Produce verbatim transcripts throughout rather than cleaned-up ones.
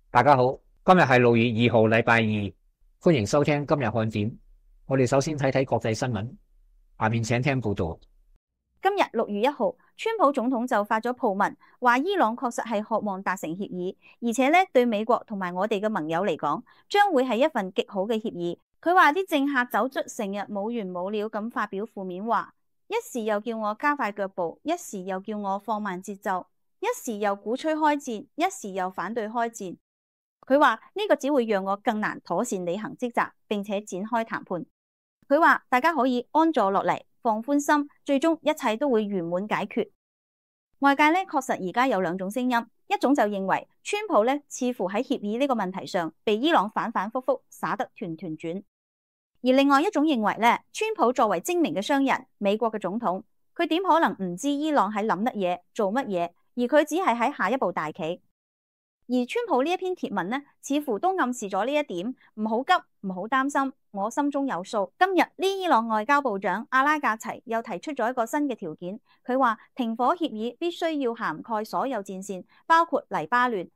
大家好，今日係六月二號，禮拜二，歡迎收聽今日看點。我哋首先睇睇國際新聞，下面請聽報道。今日六月一號，川普總統就發咗訃文，話伊朗確實係渴望達成協議，而且咧對美國同埋我哋嘅盟友嚟講，將會係一份極好嘅協議。佢話啲政客走出成日冇完冇了咁發表負面話，一時又叫我加快腳步，一時又叫我放慢節奏，一時又鼓吹開戰，一時又反對開戰。佢話呢個只會讓我更難妥善履行職責，並且展開談判。佢話大家可以安坐落嚟，放寬心，最終一切都會圓滿解決。外界咧確實而家有兩種聲音，一種就認為川普咧似乎喺協議呢個問題上被伊朗反反复复耍得團團轉，而另外一種認為咧，川普作為精明嘅商人，美國嘅總統，佢點可能唔知伊朗喺諗乜嘢做乜嘢，而佢只係喺下一步大棋。而川普呢一篇貼文呢，似乎都暗示咗呢一點，唔好急，唔好擔心，我心中有數。今日呢，伊朗外交部長阿拉格齊又提出咗一個新嘅條件，佢話停火協議必須要涵蓋所有戰線，包括黎巴嫩。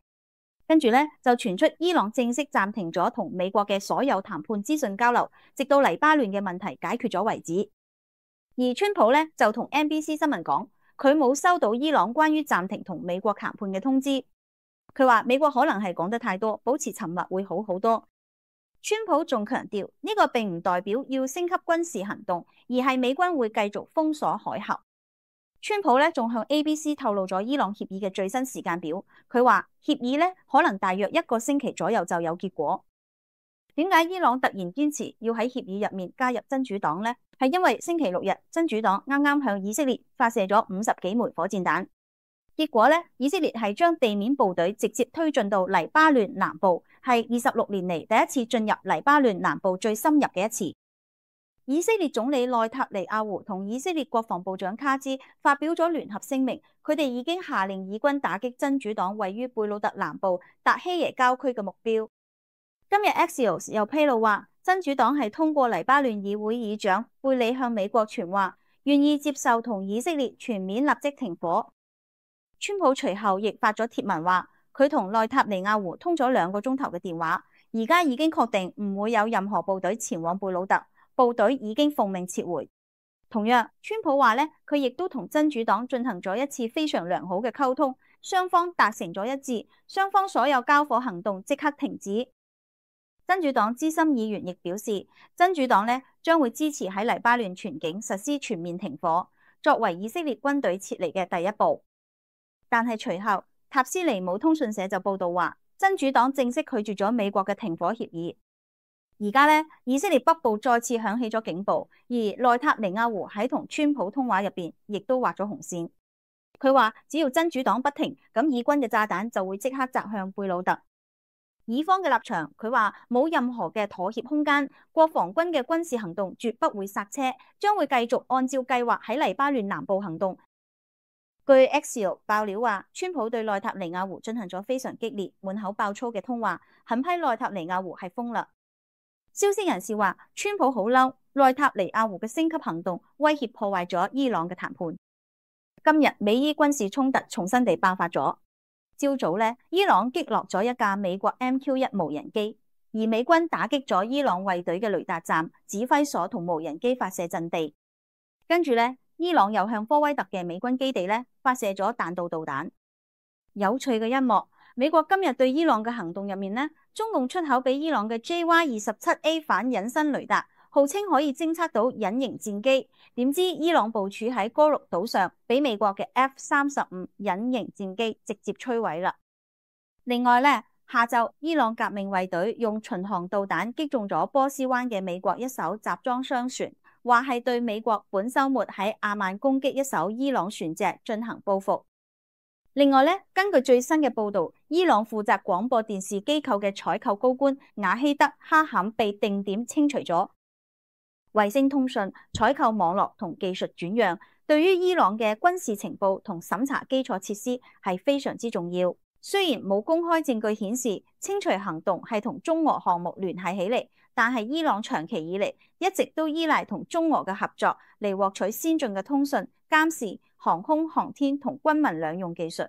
跟住呢，就傳出伊朗正式暫停咗同美國嘅所有談判資訊交流，直到黎巴嫩嘅問題解決咗為止。而川普呢，就同 N B C 新聞講，佢冇收到伊朗關於暫停同美國談判嘅通知。佢話美國可能係講得太多，保持沉默會好好多。川普仲強調呢個並唔代表要升級軍事行動，而係美軍會繼續封鎖海峽。川普咧仲向 A B C 透露咗伊朗協議嘅最新時間表。佢話協議咧可能大約一個星期左右就有結果。點解伊朗突然堅持要喺協議入面加入真主黨呢？係因為星期六日真主黨啱啱向以色列發射咗五十幾枚火箭彈。結果咧，以色列係將地面部隊直接推進到黎巴嫩南部，係二十六年嚟第一次進入黎巴嫩南部最深入嘅一次。以色列總理內塔尼亞胡同以色列國防部長卡茲發表咗聯合聲明，佢哋已經下令以軍打擊真主黨位於貝魯特南部達希耶郊區嘅目標。今日 Axios 又披露話，真主黨係通過黎巴嫩議會議長貝里向美國傳話，願意接受同以色列全面立即停火。川普隨後亦發咗貼文話，佢同內塔尼亞胡通咗兩個鐘頭嘅電話，而家已經確定唔會有任何部隊前往貝魯特，部隊已經奉命撤回。同樣，川普話咧，佢亦都同真主黨進行咗一次非常良好嘅溝通，雙方達成咗一致，雙方所有交火行動即刻停止。真主黨資深議員亦表示，真主黨咧將會支持喺黎巴嫩全境實施全面停火，作為以色列軍隊撤離嘅第一步。但係隨後，塔斯尼姆通訊社就報道話，真主黨正式拒絕咗美國嘅停火協議。而家咧，以色列北部再次響起咗警報，而內塔尼亞胡喺同川普通話入邊，亦都畫咗紅線。佢話只要真主黨不停，咁以軍嘅炸彈就會即刻擲向貝魯特。以方嘅立場，佢話冇任何嘅妥協空間，國防軍嘅軍事行動絕不會剎車，將會繼續按照計劃喺黎巴嫩南部行動。據 Axios 爆料話，川普對內塔尼亞胡進行咗非常激烈、滿口爆粗嘅通話，狠批內塔尼亞胡係瘋啦。消息人士話，川普好嬲，內塔尼亞胡嘅升級行動威脅破壞咗伊朗嘅談判。今日美伊軍事衝突重新地爆發咗。朝早咧，伊朗擊落咗一架美國 M Q 一無人機，而美軍打擊咗伊朗衛隊嘅雷達站、指揮所同無人機發射陣地。跟住咧，伊朗又向科威特嘅美軍基地咧發射咗彈道導彈。有趣嘅一幕，美國今日對伊朗嘅行動入面呢，中共出口俾伊朗嘅 J Y 二十七 A 反隱身雷達，號稱可以偵測到隱形戰機，點知伊朗部署喺哥魯島上，俾美國嘅 F 三十五隱形戰機直接摧毀啦。另外咧，下晝伊朗革命衛隊用巡航導彈擊中咗波斯灣嘅美國一艘集裝箱船，話係對美國本週末喺阿曼攻擊一艘伊朗船隻進行報復。另外咧，根據最新嘅報道，伊朗負責廣播電視機構嘅採購高官瓦希德哈坎被定點清除咗。衛星通訊、採購網絡同技術轉讓，對於伊朗嘅軍事情報同審查基礎設施係非常之重要。雖然冇公開證據顯示清除行動係同中俄項目聯繫起嚟，但係伊朗長期以嚟一直都依賴同中俄嘅合作嚟獲取先進嘅通訊、監視、航空、航天同軍民兩用技術。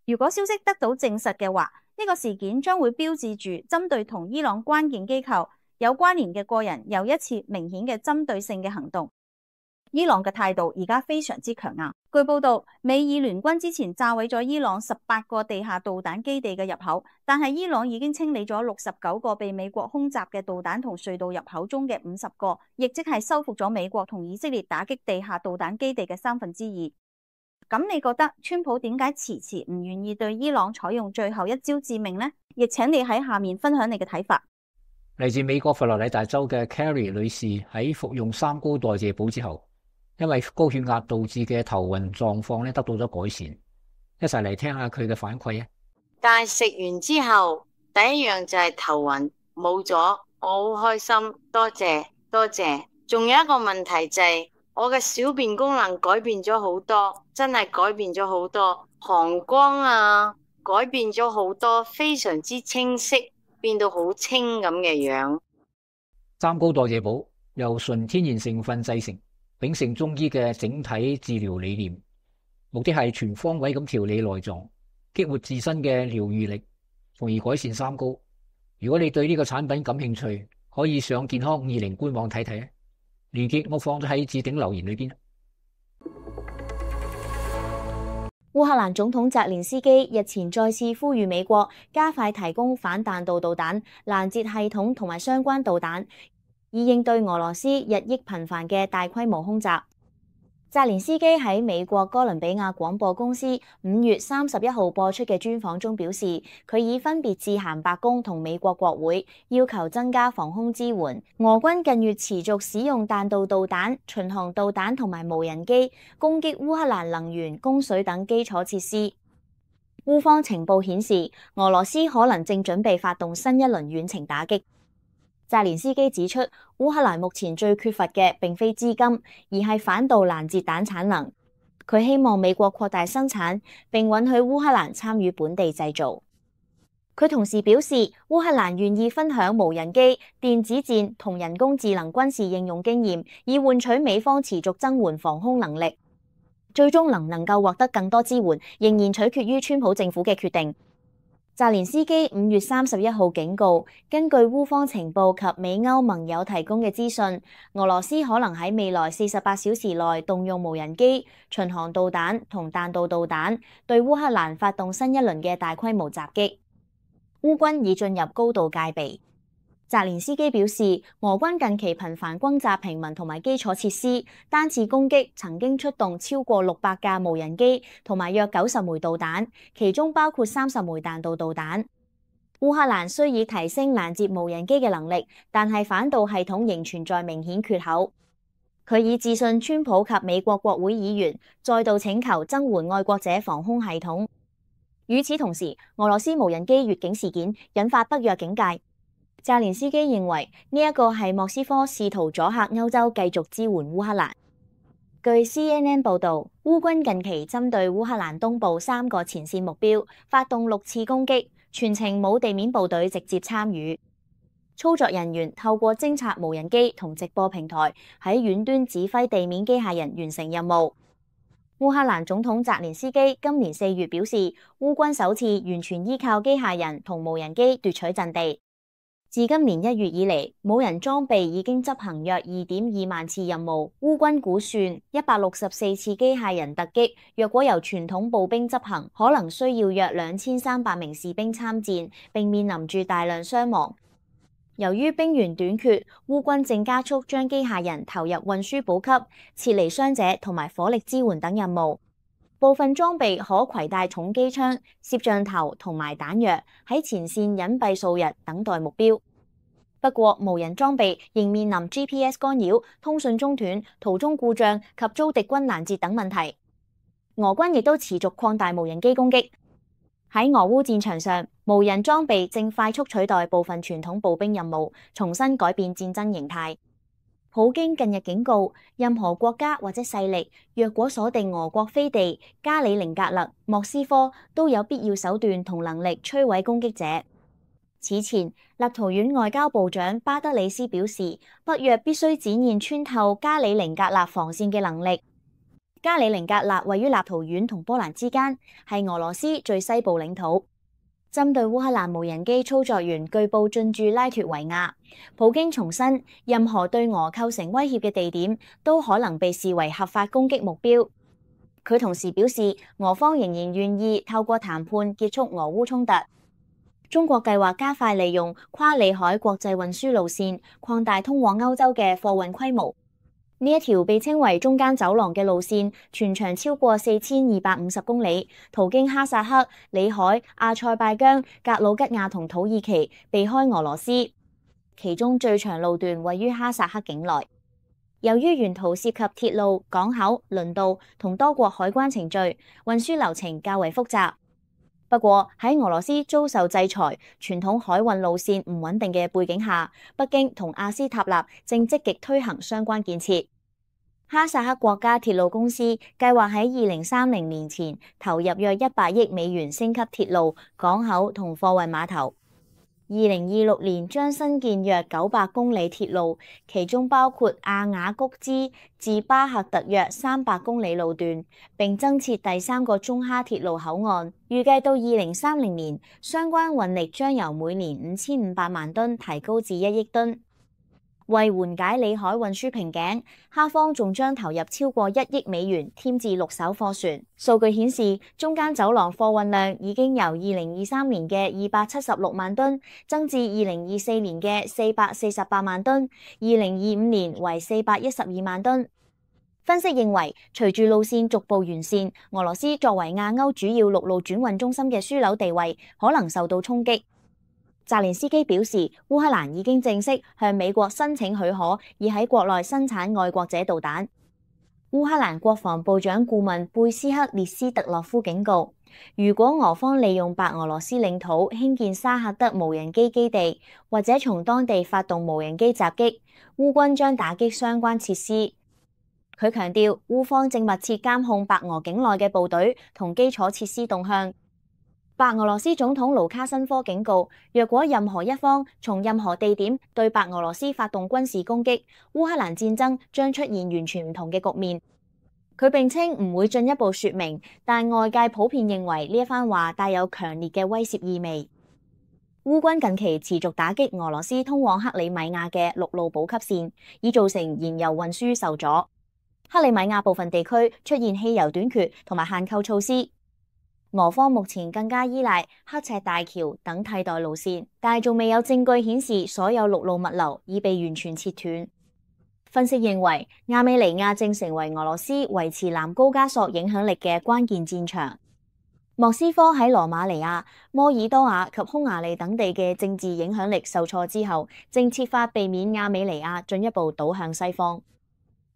如果消息得到證實嘅話，呢個事件將會標誌住針對同伊朗關鍵機構有關聯嘅個人又一次明顯嘅針對性嘅行動。伊朗嘅態度而家非常之強硬。據報道，美以聯軍之前炸毀咗伊朗十八個地下導彈基地嘅入口，但係伊朗已經清理咗六十九個被美國空襲嘅導彈同隧道入口中嘅五十個，亦即係收復咗美國同以色列打擊地下導彈基地嘅三分之二。咁你覺得川普點解遲遲唔願意對伊朗採用最後一招致命呢？亦請你喺下面分享你嘅睇法。嚟自美國佛羅里達州嘅 Carrie 女士喺服用三高代謝補之後，因為高血壓導致嘅頭暈狀況咧得到咗改善。一齊嚟聽下佢嘅反饋啊！但係食完之後，第一樣就係頭暈冇咗，我好開心，多謝多謝。仲有一個問題就係、是、我嘅小便功能改變咗好多，真係改變咗好多，膀胱啊改變咗好多，非常之清晰，變到好清咁嘅樣。三高代謝補由純天然成分製成，秉承中醫嘅整體治療理念，目的係全方位咁調理內臟，激活自身嘅療癒力，從而改善三高。如果你對呢個產品感興趣，可以上健康五二零官網睇睇啊！連結我放咗喺置頂留言裏邊。烏克蘭總統澤連斯基日前再次呼籲美國加快提供反彈道導彈攔截系統同埋相關導彈，以應對俄羅斯日益頻繁嘅大規模空襲。澤連斯基喺美國哥倫比亞廣播公司五月三十一號播出嘅專訪中表示，佢已分別致函白宮同美國國會，要求增加防空支援。俄軍近月持續使用彈道導彈、巡航導彈同埋無人機攻擊烏克蘭能源、供水等基礎設施。烏方情報顯示，俄羅斯可能正準備發動新一輪遠程打擊。澤連斯基指出，烏克蘭目前最缺乏嘅並非資金，而係反導攔截彈產能。佢希望美國擴大生產，並允許烏克蘭參與本地製造。佢同時表示，烏克蘭願意分享無人機、電子戰同人工智能軍事應用經驗，以換取美方持續增援防空能力。最終能唔能夠獲得更多支援，仍然取決於川普政府嘅決定。澤連斯基五月三十一號警告，根據烏方情報及美歐盟友提供嘅資訊，俄羅斯可能喺未來四十八小時內動用無人機、巡航導彈同彈道導彈，對烏克蘭發動新一輪嘅大規模襲擊。烏軍已進入高度戒備。澤連斯基表示，俄軍近期頻繁轟炸平民同埋基礎設施，單次攻擊曾經出動超過六百架無人機同埋約九十枚導彈，其中包括三十枚彈道導彈。烏克蘭雖已提升攔截無人機嘅能力，但係反導系統仍存在明顯缺口。佢已致信川普及美國國會議員，再度請求增援愛國者防空系統。與此同時，俄羅斯無人機越境事件引發北約警戒。澤連斯基認為呢一個係莫斯科試圖阻嚇歐洲繼續支援烏克蘭。據 C N N 報導，烏軍近期針對烏克蘭東部三個前線目標發動六次攻擊，全程冇地面部隊直接參與。操作人員透過偵察無人機同直播平台喺遠端指揮地面機械人完成任務。烏克蘭總統澤連斯基今年四月表示，烏軍首次完全依靠機械人同無人機奪取陣地。自今年一月以嚟，冇人裝備已經執行約二點二萬次任務。烏軍估算一百六十四次機械人突擊，若果由傳統步兵執行，可能需要約兩千三百名士兵參戰，並面臨住大量傷亡。由於兵員短缺，烏軍正加速將機械人投入運輸補給、撤離傷者同埋火力支援等任務。部分裝備可攜帶重機槍、攝像頭同埋彈藥，喺前線隱蔽數日等待目標。不過，無人裝備仍面臨 G P S 干擾、通訊中斷、途中故障及遭敵軍攔截等問題。俄軍亦都持續擴大無人機攻擊。喺俄烏戰場上，無人裝備正快速取代部分傳統步兵任務，重新改變戰爭形態。普京近日警告，任何國家或者勢力，若果鎖定俄國飛地、加里寧格勒、莫斯科，都有必要手段同能力摧毀攻擊者。此前，立陶宛外交部長巴德里斯表示，北約必須展現穿透加里寧格勒防線嘅能力。加里寧格勒位於立陶宛同波蘭之間，係俄羅斯最西部領土。針對烏克蘭無人機操作員據報進駐拉脫維亞，普京重申，任何對俄構成威脅嘅地點都可能被視為合法攻擊目標。佢同時表示，俄方仍然願意透過談判結束俄烏衝突。中國計劃加快利用跨里海國際運輸路線，擴大通往歐洲嘅貨運規模。呢一條被稱為中間走廊嘅路線，全長超過四千二百五十公里，途經哈薩克、里海、阿塞拜疆、格魯吉亞同土耳其，避開俄羅斯。其中最長路段位於哈薩克境內。由於沿途涉及鐵路、港口、輪道同多國海關程序，運輸流程較為複雜。不過喺俄羅斯遭受制裁、傳統海運路線唔穩定嘅背景下，北京同阿斯塔納正積極推行相關建設。哈薩克國家鐵路公司計劃喺二零三零年前投入約一百億美元升級鐵路、港口同貨運碼頭。二零二六年將新建約九百公里鐵路，其中包括阿雅谷茲至巴克特約三百公里路段，並增設第三個中哈鐵路口岸。預計到二零三零年，相關運力將由每年五千五百萬噸提高至一億噸。為緩解里海運輸瓶頸，哈方仲將投入超過一億美元添置六艘貨船。數據顯示，中間走廊貨運量已經由二零二三年嘅二百七十六萬噸增至二零二四年嘅四百四十八萬噸，二零二五年為四百一十二萬噸。分析認為，隨住路線逐步完善，俄羅斯作為亞歐主要陸路轉運中心嘅樞紐地位可能受到衝擊。澤連斯基表示，烏克蘭已經正式向美國申請許可，以喺國內生產愛國者導彈。烏克蘭國防部長顧問貝斯克列斯特洛夫警告，如果俄方利用白俄羅斯領土興建沙赫德無人機基地，或者從當地發動無人機襲擊，烏軍將打擊相關設施。佢強調，烏方正密切監控白俄境內嘅部隊同基礎設施動向。白俄羅斯總統盧卡申科警告，若果任何一方從任何地點對白俄羅斯發動軍事攻擊，烏克蘭戰爭將出現完全唔同嘅局面。佢並稱唔會進一步說明，但外界普遍認為呢一番話帶有強烈嘅威懾意味。烏軍近期持續打擊俄羅斯通往克里米亞嘅陸路補給線，已造成燃油運輸受阻。克里米亞部分地區出現汽油短缺同埋限購措施。俄方目前更加依賴刻赤大橋等替代路線，但係仲未有證據顯示所有陸路物流已被完全切斷。分析認為，亞美尼亞正成為俄羅斯維持南高加索影響力嘅關鍵戰場。莫斯科喺羅馬尼亞、摩爾多瓦及匈牙利等地嘅政治影響力受挫之後，正設法避免亞美尼亞進一步倒向西方。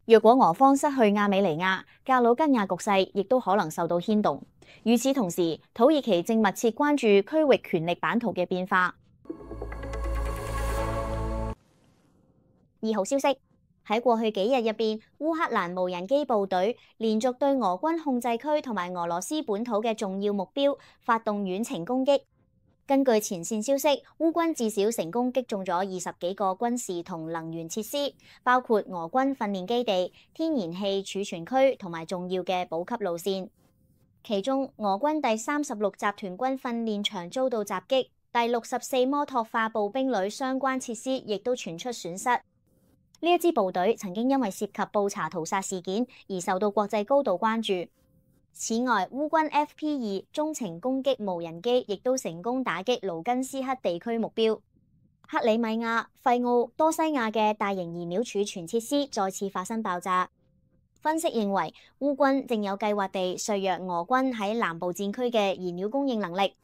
若果俄方失去亞美尼亞，格魯吉亞局勢亦都可能受到牽動。與此同時，土耳其正密切關注區域權力版圖嘅變化。二號消息，喺過去幾日入邊，烏克蘭無人機部隊連續對俄軍控制區同埋俄羅斯本土嘅重要目標發動遠程攻擊。根據前線消息，烏軍至少成功擊中咗二十幾個軍事同能源設施，包括俄軍訓練基地、天然氣儲存區同埋重要嘅補給路線。其中，俄軍第三十六集團軍訓練場遭到襲擊，第六十四摩托化步兵旅相關設施亦都傳出損失。呢一支部隊曾經因為涉及布查屠殺事件而受到國際高度關注。此外，烏軍 F P 二中程攻擊無人機亦都成功打擊盧根斯克地區目標。克里米亞、費奧、多西亞嘅大型燃料儲存設施再次發生爆炸。分析認為，烏軍正有計劃地削弱俄軍喺南部戰區嘅燃料供應能力。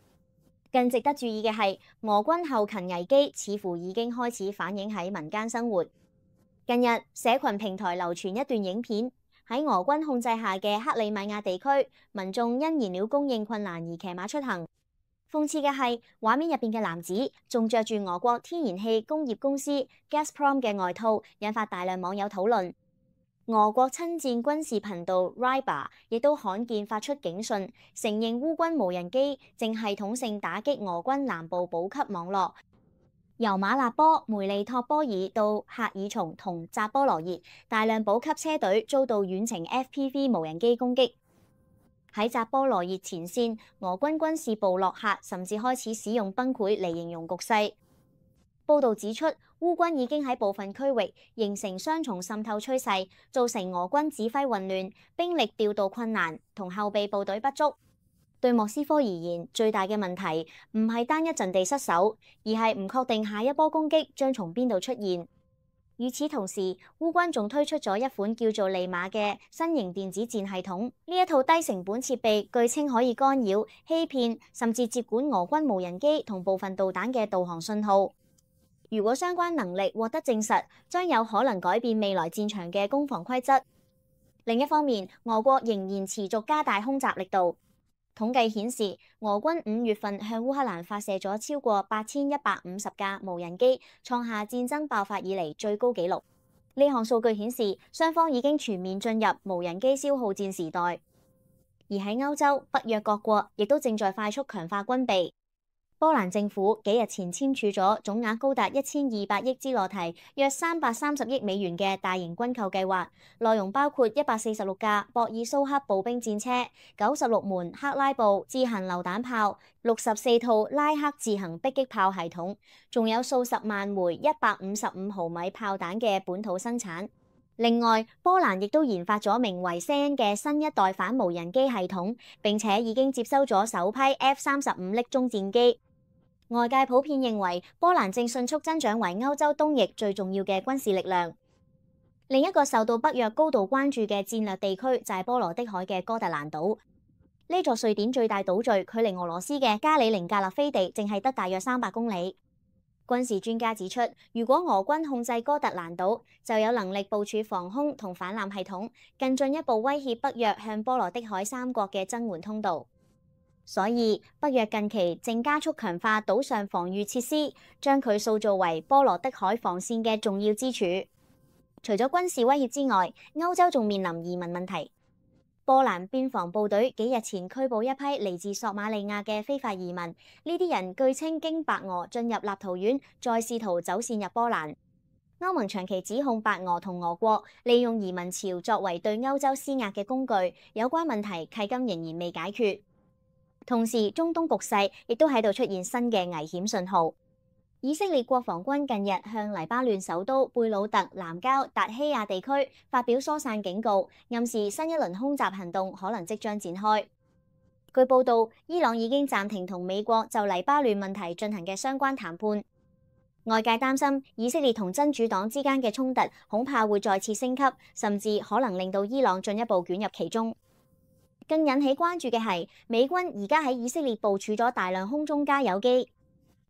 更值得注意嘅係，俄軍後勤危機似乎已經開始反映喺民間生活。近日，社群平台流傳一段影片。喺俄軍控制下嘅克里米亞地區，民眾因燃料供應困難而騎馬出行。諷刺嘅係，畫面入邊嘅男子仲着住俄國天然氣工業公司 Gazprom 嘅外套，引發大量網友討論。俄國親戰軍事頻道 Rybar 亦都罕見發出警訊，承認烏軍無人機正系統性打擊俄軍南部補給網絡。由馬納波、梅利托波爾到赫爾松同扎波羅熱，大量補給車隊遭到遠程 F P V 無人機攻擊。喺扎波羅熱前線，俄軍軍事部落客甚至開始使用崩潰嚟形容局勢。報道指出，烏軍已經喺部分區域形成雙重滲透趨勢，造成俄軍指揮混亂、兵力調度困難同後備部隊不足。對莫斯科而言，最大嘅問題唔係單一陣地失守，而係唔確定下一波攻擊將從邊度出現。與此同時，烏軍仲推出咗一款叫做利馬嘅新型電子戰系統。呢一套低成本設備，據稱可以干擾、欺騙，甚至接管俄軍無人機同部分導彈嘅導航信號。如果相關能力獲得證實，將有可能改變未來戰場嘅攻防規則。另一方面，俄國仍然持續加大空襲力度。統計顯示，俄軍五月份向烏克蘭發射咗超過八千一百五十架無人機，創下戰爭爆發以嚟最高紀錄。呢項數據顯示，雙方已經全面進入無人機消耗戰時代。而喺歐洲，北約各國亦都正在快速強化軍備。波蘭政府幾日前簽署咗總額高達一千二百億茲羅提，約三百三十億美元嘅大型軍購計劃，內容包括一百四十六架博爾蘇克步兵戰車、九十六門克拉布自行榴彈炮、六十四套拉克自行迫擊炮系統，仲有數十萬枚一百五十五毫米炮彈嘅本土生產。另外，波蘭亦都研發咗名為謝恩嘅新一代反無人機系統，並且已經接收咗首批 F 三十五 瀝中戰機。外界普遍認為，波蘭正迅速增長為歐洲東翼最重要嘅軍事力量。另一個受到北約高度關注嘅戰略地區就係波羅的海嘅哥特蘭島。呢座瑞典最大島嶼，距離俄羅斯嘅加里寧格勒飛地淨係得大約三百公里。軍事專家指出，如果俄軍控制哥特蘭島，就有能力部署防空同反艦系統，更進一步威脅北約向波羅的海三國嘅增援通道。所以，北約近期正加速強化島上防禦設施，將佢塑造為波羅的海防線嘅重要支柱。除咗軍事威脅之外，歐洲仲面臨移民問題。波蘭邊防部隊幾日前拘捕一批嚟自索馬利亞嘅非法移民，呢啲人據稱經白俄進入立陶宛，再試圖走線入波蘭。歐盟長期指控白俄同俄國利用移民潮作為對歐洲施壓嘅工具，有關問題迄今仍然未解決。同時，中東局勢亦都喺度出現新嘅危險信號。以色列國防軍近日向黎巴嫩首都貝魯特南郊達希亞地區發表疏散警告，暗示新一輪空襲行動可能即將展開。據報道，伊朗已經暫停同美國就黎巴嫩問題進行嘅相關談判。外界擔心以色列同真主黨之間嘅衝突恐怕會再次升級，甚至可能令到伊朗進一步捲入其中。更引起關注嘅係，美軍而家喺以色列部署咗大量空中加油機。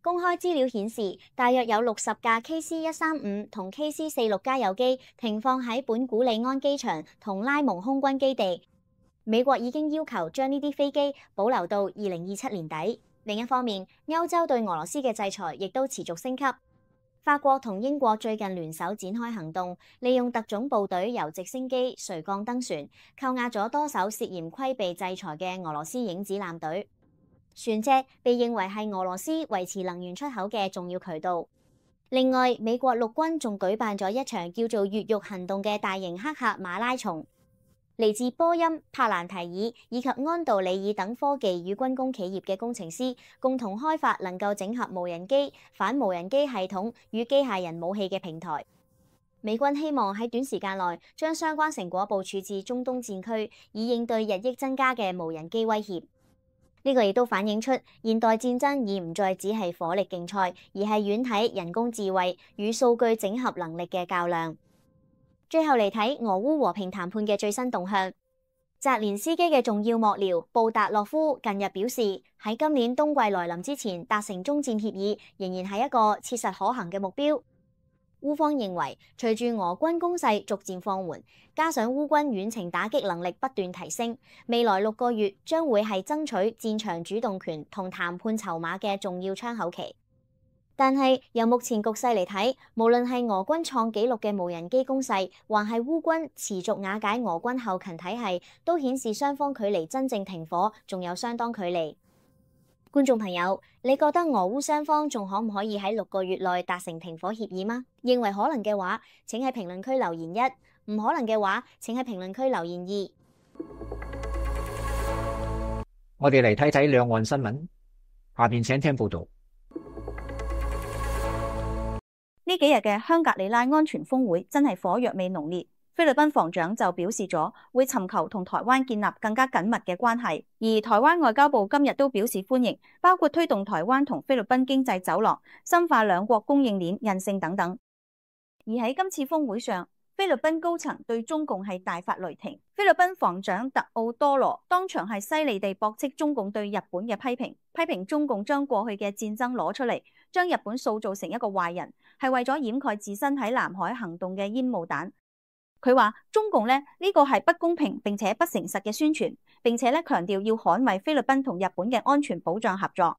公開資料顯示，大約有六十架 K C 一三五同 K C 四六加油機停放喺本古里安機場同拉蒙空軍基地。美國已經要求將呢啲飛機保留到二零二七年底。另一方面，歐洲對俄羅斯嘅制裁亦都持續升級。法國同英國最近聯手展開行動，利用特種部隊由直升機、垂降登船，扣押咗多艘涉嫌規避制裁嘅俄羅斯影子艦隊。船隻被認為係俄羅斯維持能源出口嘅重要渠道。另外，美國陸軍仲舉辦咗一場叫做越獄行動嘅大型黑客馬拉松。嚟自波音、帕蘭提爾以及安道里爾等科技與軍工企業嘅工程師共同開發能夠整合無人機、反無人機系統與機械人武器嘅平台。美軍希望喺短時間內將相關成果部署至中東戰區，以應對日益增加嘅無人機威脅。呢個亦都反映出現代戰爭已唔再只係火力競賽，而係遠睇人工智慧與數據整合能力嘅較量。最後嚟睇俄烏和平談判嘅最新動向。澤連斯基嘅重要幕僚布達洛夫近日表示，喺今年冬季來臨之前達成終戰協議，仍然係一個切實可行嘅目標。烏方認為，隨住俄軍攻勢逐漸放緩，加上烏軍遠程打擊能力不斷提升，未來六個月將會係爭取戰場主動權同談判籌碼嘅重要窗口期。但係由目前局勢嚟睇，無論係俄軍創紀錄嘅無人機攻勢，還係烏軍持續瓦解俄軍後勤體系，都顯示雙方距離真正停火仲有相當距離。觀眾朋友，你覺得俄烏雙方仲可唔可以喺六個月內達成停火協議嗎？認為可能嘅話，請喺評論區留言一；唔可能嘅話，請喺評論區留言二。我哋嚟睇睇兩岸新聞，下邊請聽報道。呢幾日嘅香格里拉安全峰會真係火藥味濃烈。菲律賓防長就表示咗會尋求同台灣建立更加緊密嘅關係，而台灣外交部今日都表示歡迎，包括推動台灣同菲律賓經濟走廊、深化兩國供應鏈韌性等等。而喺今次峰會上，菲律賓高層對中共係大發雷霆，菲律賓防長特奧多羅當場係犀利地駁斥中共對日本嘅批評，批評中共將過去嘅戰爭攞出嚟，將日本塑造成一個壞人，係為咗掩蓋自身喺南海行動嘅煙霧彈。佢話中共咧呢個係不公平並且不誠實嘅宣傳，並且咧強調要捍衛菲律賓同日本嘅安全保障合作。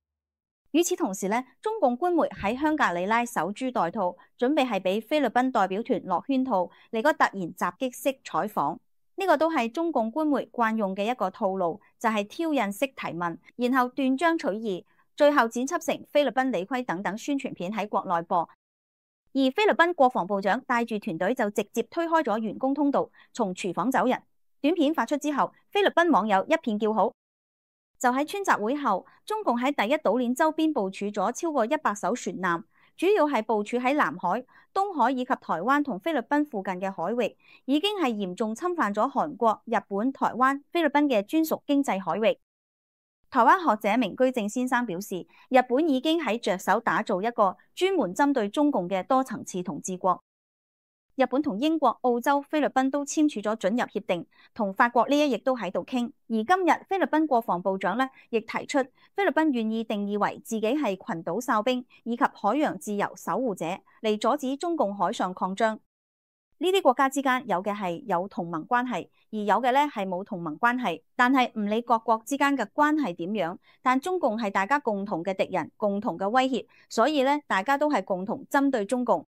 與此同時咧，中共官媒喺香格里拉守株待兔，準備係俾菲律賓代表團落圈套嚟個突然襲擊式採訪。呢個都係中共官媒慣用嘅一個套路，就係挑釁式提問，然後斷章取義，最後剪輯成菲律賓理虧等等宣傳片喺國內播。而菲律賓國防部長帶住團隊就直接推開咗員工通道，從廚房走人。短片發出之後，菲律賓網友一片叫好。就喺川習會後，中共喺第一島鏈周邊部署咗超過一百艘船艦，主要係部署喺南海、東海以及台灣同菲律賓附近嘅海域，已經係嚴重侵犯咗韓國、日本、台灣、菲律賓嘅專屬經濟海域。台灣學者明居正先生表示，日本已經喺着手打造一個專門針對中共嘅多層次統治國。日本同英國、澳洲、菲律賓都簽署咗准入協定，同法國呢一役都喺度傾。而今日菲律賓國防部長呢亦提出，菲律賓願意定義為自己係群島哨兵以及海洋自由守護者，嚟阻止中共海上擴張。呢啲國家之間有嘅係有同盟關係，而有嘅咧係冇同盟關係。但係唔理各國之間嘅關係點樣，但中共係大家共同嘅敵人、共同嘅威脅，所以咧大家都係共同針對中共。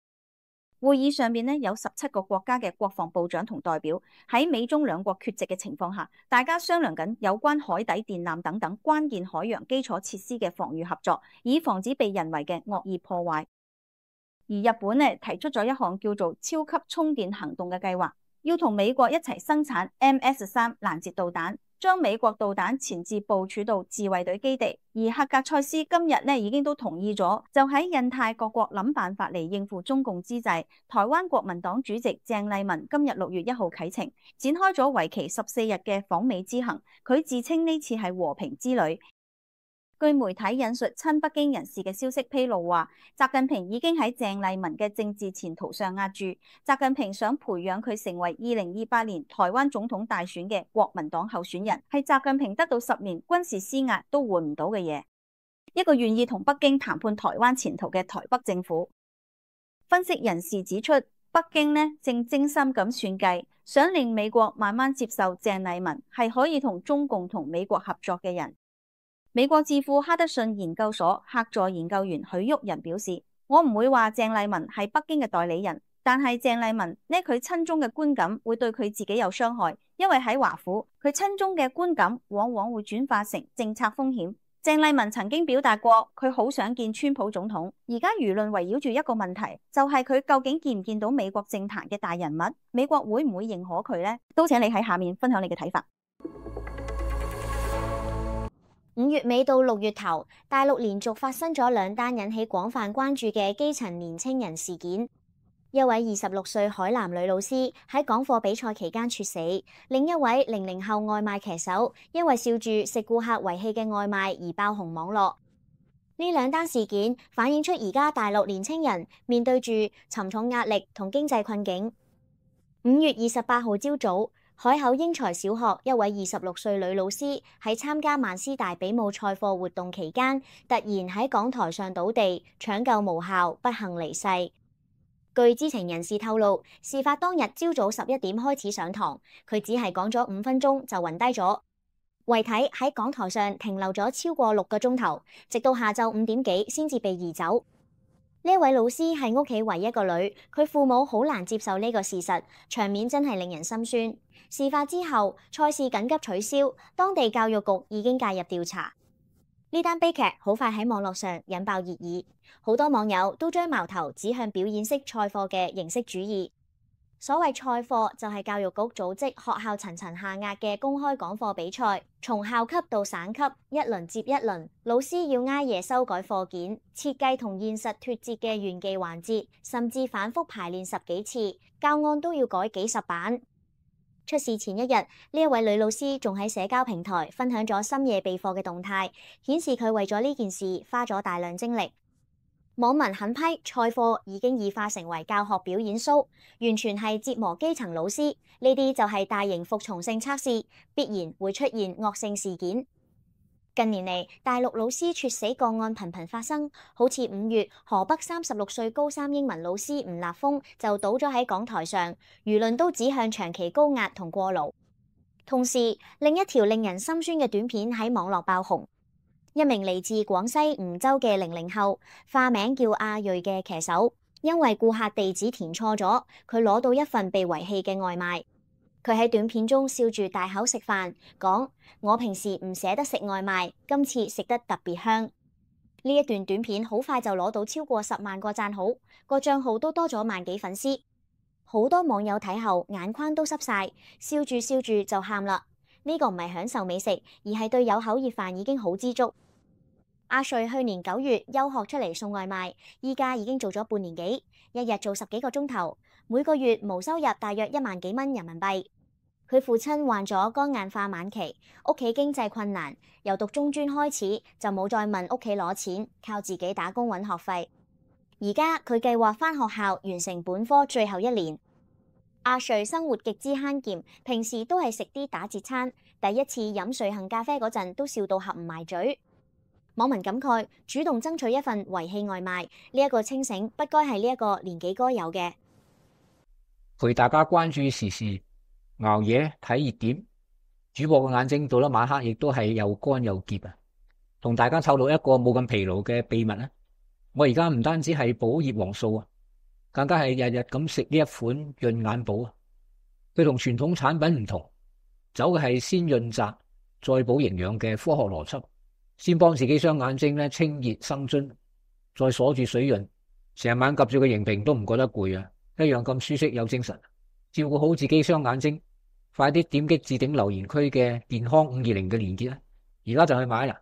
會議上面咧有十七個國家嘅國防部長同代表，喺美中兩國缺席嘅情況下，大家商量緊有關海底電纜等等關鍵海洋基礎設施嘅防禦合作，以防止被人為嘅惡意破壞。而日本咧提出咗一項叫做超級充電行動嘅計劃，要同美國一齊生產 M S 三攔截導彈，將美國導彈前置部署到自衛隊基地。而赫格塞斯今日咧已經都同意咗，就喺印太各國諗辦法嚟應付中共之際，台灣國民黨主席鄭麗文今日六月一號啟程，展開咗為期十四日嘅訪美之行。佢自稱呢次係和平之旅。據媒體引述親北京人士嘅消息披露話，習近平已經喺鄭麗文嘅政治前途上押注，習近平想培養佢成為二零二八年台灣總統大選嘅國民黨候選人，係習近平得到十年軍事施壓都換唔到嘅嘢。一個願意同北京談判台灣前途嘅台北政府。分析人士指出，北京呢正精心咁算計，想令美國慢慢接受鄭麗文係可以同中共同美國合作嘅人。美國智庫哈德遜研究所客座研究員許旭仁表示，我唔會話鄭麗文係北京嘅代理人，但係鄭麗文呢佢親中嘅觀感會對佢自己有傷害，因為喺華府佢親中嘅觀感往往會轉化成政策風險。鄭麗文曾經表達過佢好想見川普總統，而家輿論圍繞住一個問題，就係佢究竟見唔見到美國政壇嘅大人物，美國會唔會認可佢呢？都請你喺下面分享你嘅睇法。五月尾到六月頭，大陸連續發生咗兩單引起廣泛關注嘅基層年青人事件。一位二十六歲海南女老師喺港課比賽期間猝死，另一位零零後外賣騎手因為笑住食顧客遺棄嘅外賣而爆紅網絡。呢兩單事件反映出而家大陸年青人面對住沉重壓力同經濟困境。五月二十八號朝早，海口英才小學一位二十六歲女老師喺參加萬師大比武賽課活動期間，突然喺講台上倒地，搶救無效，不幸離世。據知情人士透露，事發當日朝早十一點開始上堂，佢只係講咗五分鐘就暈低咗，遺體喺講台上停留咗超過六個鐘頭，直到下晝五點幾先至被移走。呢位老師係屋企唯一個女，佢父母好難接受呢個事實，場面真係令人心酸。事發之後，賽事緊急取消，當地教育局已經介入調查。呢單悲劇好快喺網絡上引爆熱議，好多網友都將矛頭指向表演式賽課嘅形式主義。所謂賽課就係教育局組織學校層層下壓嘅公開講課比賽，從校級到省級，一輪接一輪，老師要挨夜修改課件，設計同現實脫節嘅炫技環節，甚至反覆排練十幾次，教案都要改幾十版。出事前一日，呢一位女老師仲喺社交平台分享咗深夜備課嘅動態，顯示佢為咗呢件事花咗大量精力。網民狠批賽課已經異化成為教學表演 show， 完全係折磨基層老師。呢啲就係大型服從性測試，必然會出現惡性事件。近年嚟，大陸老師猝死個案頻頻發生，好似五月河北三十六歲高三英文老師吳立峰就倒咗喺講台上，輿論都指向長期高壓同過勞。同時，另一條令人心酸嘅短片喺網絡爆紅。一名嚟自廣西梧州嘅零零後，化名叫阿瑞嘅騎手，因為顧客地址填錯咗，佢攞到一份被遺棄嘅外賣。佢喺短片中笑住大口食飯，講：我平時唔捨得食外賣，今次食得特別香。呢一段短片好快就攞到超過十萬個讚好，個賬號都多咗萬幾粉絲。好多網友睇後眼眶都濕晒，笑住笑住就喊啦。呢個唔係享受美食，而係對有口熱飯已經好知足。阿瑞去年九月休學出嚟送外賣，依家已經做咗半年幾，一日做十幾個鐘頭，每個月無收入大約一萬幾蚊人民幣。佢父親患咗肝硬化晚期，屋企經濟困難，由讀中專開始就冇再問屋企攞錢，靠自己打工揾學費。而家佢計劃返學校完成本科最後一年。阿瑞生活極之慳儉，平時都係食啲打折餐。第一次飲瑞幸咖啡嗰陣都笑到合唔埋嘴。網民感慨，主動爭取一份遺棄外賣，呢一個清醒不該係呢一個年紀該有嘅。陪大家關注時事，熬夜睇熱點，主播嘅眼睛到咗晚黑亦都係又乾又澀啊！同大家透露一個冇咁疲勞嘅秘密啊！我而家唔單止係補葉黃素啊，更加係日日咁食呢一款潤眼寶啊！佢同傳統產品唔同，走嘅係先潤澤再補營養嘅科學邏輯，先幫自己雙眼睛咧清熱生津，再鎖住水潤，成晚及住個螢屏都唔覺得攰啊！一樣咁舒適有精神。照顧好自己雙眼睛，快啲點擊置頂留言區嘅健康五二零嘅連結啦！而家就去買啦！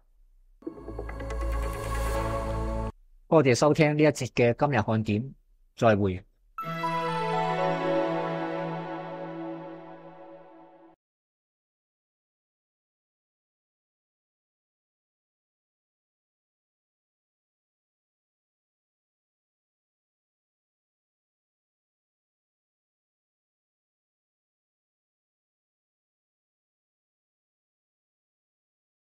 多謝收聽呢一節嘅今日看點，再會。